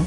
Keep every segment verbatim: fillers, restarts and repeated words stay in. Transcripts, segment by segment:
Hei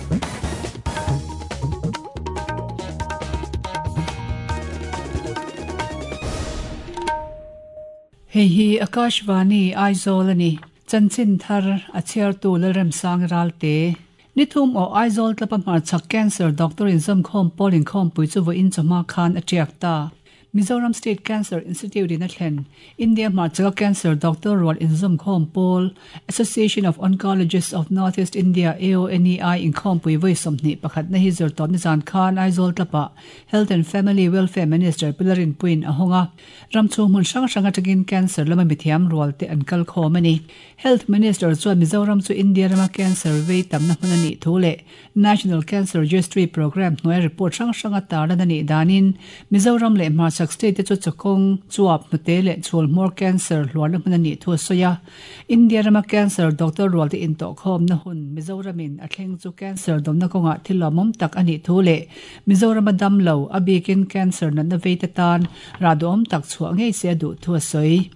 hi Akashvani Aizawl ani chanchin thar a chhiar tu Lalrem sang ralte nithum o Aizawl tlapa hmar chak cancer doctor in zam khom polin khom pui chu vo in chama khan achiak ta Mizoram State Cancer Institute in Athlen India hmar chak cancer doctor rol in zam khom pol Association of Oncologists of Northeast India A O N E I in khom pui voi somni pakhat na hi zor top ni zan khan Aizawl tlapa Health and Family Welfare Minister Pilarin Puin ahonga ramchu mun sang sanga takin cancer lama mithiam rol te an kal khomani Health Minister chuan Mizoram chu India rama cancer vei tamna hmunani thule National Cancer Registry Program noi report sang sanga tarlan ani danin Mizoram le hmar chak state chu chakong chuap nute le chul more cancer hluan hmunani thu soya India rama cancer doctor rol te in to khom na hun Mizoramin a thleng chu cancer domna konga thilomom tak ani thule Mizoram dam lo abikin cancer na na vei te tan radom tak chua ngei se du thu soi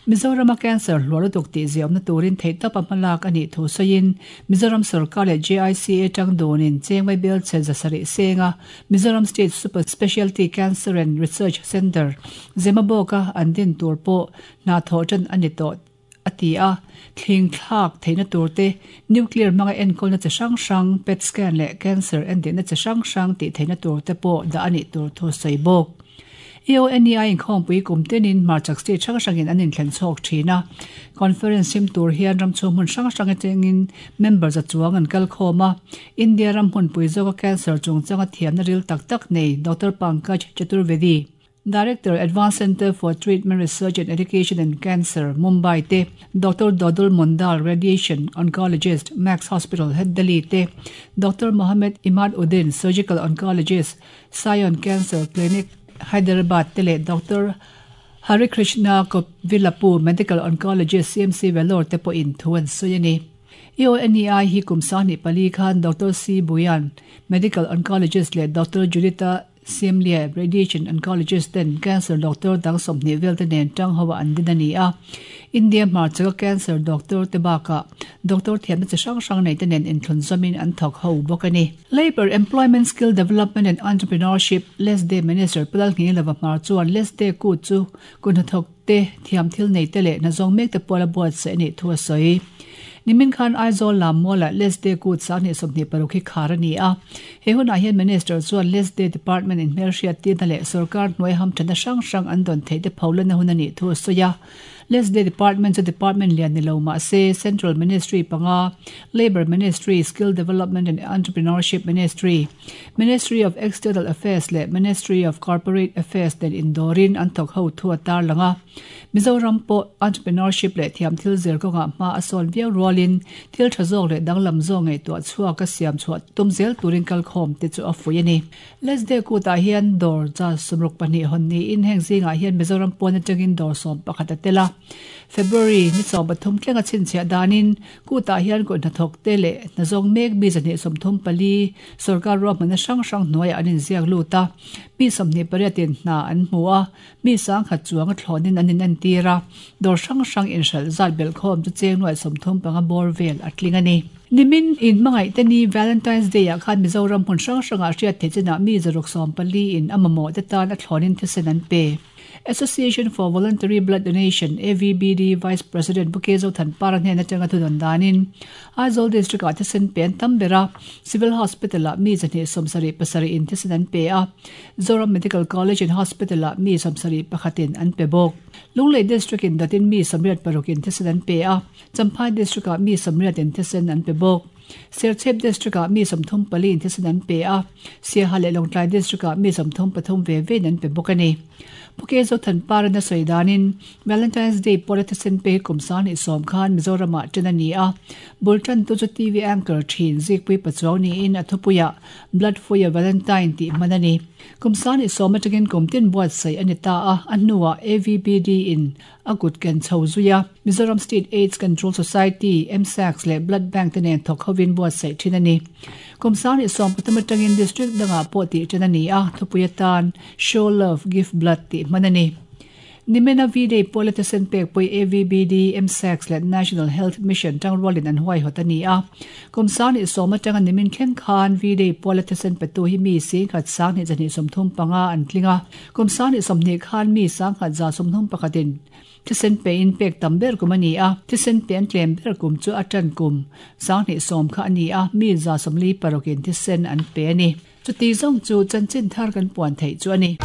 Mizoram cancer hluar dok ti ziam na turin theita pamalak ani thu soin Mizoram sarkar le J I C A tang donin chengmai bel che zasari senga Mizoram State Super Specialty Cancer and Research Center Zemaboka andin turpo na thotan ani to atia thling thlak theina turte nuclear manga enkol na che sang sang pet scan le cancer and na che sang sang ti theina turte po da ani tur thu soibok A O N E I in khom pui kum tenin marchak state sang sangin anin thlen chok thina conference sim tur hian ram chu mun sang sang atengin members a chuang an kal khoma India ram hun pui zoka cancer chung changa thiam na ril tak tak nei Doctor Pankaj Chaturvedi Director Advanced Center for Treatment Research and Education in Cancer Mumbai te Doctor Dodul Mondal Radiation Oncologist Max Hospital Head Delhi te Doctor Mohammed Imad Uddin Surgical Oncologist Sion Cancer Clinic Hyderabad tele Doctor Hari Krishna Kovilapu Medical Oncologist C M C Vellore te po in thuan soyani A O N E I hi kumsani pali khan Doctor C Buyan Medical Oncologist le Doctor Judita Siemlia Radiation Oncologist ten cancer doctor dang somni vel te nen tang hawa an dinani a India mar chaka cancer doctor te baka doctor thiam che sang sang nei te nen in thlun zamin an thok ho bokani Labor Employment Skill Development and Entrepreneurship Les Day Minister Pulal ngi lawa mar chuan Les Day ku chu kun thok te thiam thil nei te le na zong mek te pola board se ni thua soi Nimin khan Aizawl lam mola Les Day kut sang ni somni parukhi kharani a he hun a hian minister chuan Les Day department in hmelhriat tin le sarkar hnuai ham thana sang sang an don thei te pholana hun ani thu soya Les Day department chu department lian ni lo ma se Central Ministry panga Labor Ministry Skill Development and Entrepreneurship Ministry Ministry of External Affairs le Ministry of Corporate Affairs den indorin an thok ho thu atar langa Mizoram po entrepreneurship le thiam thil zer ko nga ma asol viau rolin thil thazok le danglam zo ngai to chua ka siam chua tumzel turin kal khom te chu afui ani Les Day ku ta hian dor cha sumruk pani honni in heng zinga hian Mizoram pon atangin dor som pakhat atela February ni chaw pathum tlenga chin chhia danin ku ta hian ko hnathok te le nazong mek bi zani somthum pali sarkar ro mana sang sang hnuai anin ziak luta mi somni pariatin na an hmua mi sang khat chuang thlonin anin an tira dor sang sang in hral zat bel khom chu cheng nuai somthum panga bor vel atling ani Nimin in mangai te ni Valentine's Day a khan Mizoram hmun sang sanga hriat the china mi zaruk som pali in amamo te tan a thlonin thisen an pe Association for Voluntary Blood Donation A V B D Vice President Bukezo Thanpara hnen atanga thudan danin Aizawl District a thisen pen tambera Civil Hospital a mi zani somsari pasari in thisen an pe a Zoram Medical College and Hospital a mi somsari pakhatin an pe bok Lunglei District in datin mi samriat parukin thisen an pe a Champhai District a mi samriat in thisen an pe bok Serchhip District a mi somthum pali in thisen an pe a Siaha le Lawngtlai District a mi somthum pathum ve ve an pe bok ani Bukezo Thanpara na soidanin Valentine's Day politician pe kumsan i som khan Mizoram a tenani a bultan tu chu T V anchor thin zikpui pachawni in athupuya blood for your Valentine ti manani kumsan i som atangin kumtin buat sai anita a anuwa A V B D in agut ken chhozuya Mizoram State AIDS Control Society M S A C le Blood Bank tenen thok hovin buat sai thinani kumsan i som pathum atangin district danga po ti tenani a thupuya tan show love give blood ti manani Nimena V-Day politician pek pui A V B D, M S A C le National Health Mission tangrualin an huai hotani a. Kumsang ni soma tanga nimin thleng khan V-Day politician petu hi mi sing khat sang ni zani somthum panga an tlinga. Kumsang ni somni khan mi sang khat za somthum pakhatin thisen pe in pek tamber kum ani a. Thisen pe an tlem ber kum chu atan kum sang ni som kha ani a mi za somli parokin thisen an pe ani. Chu ti zong chu chanchin thar kan puan thei chu ani.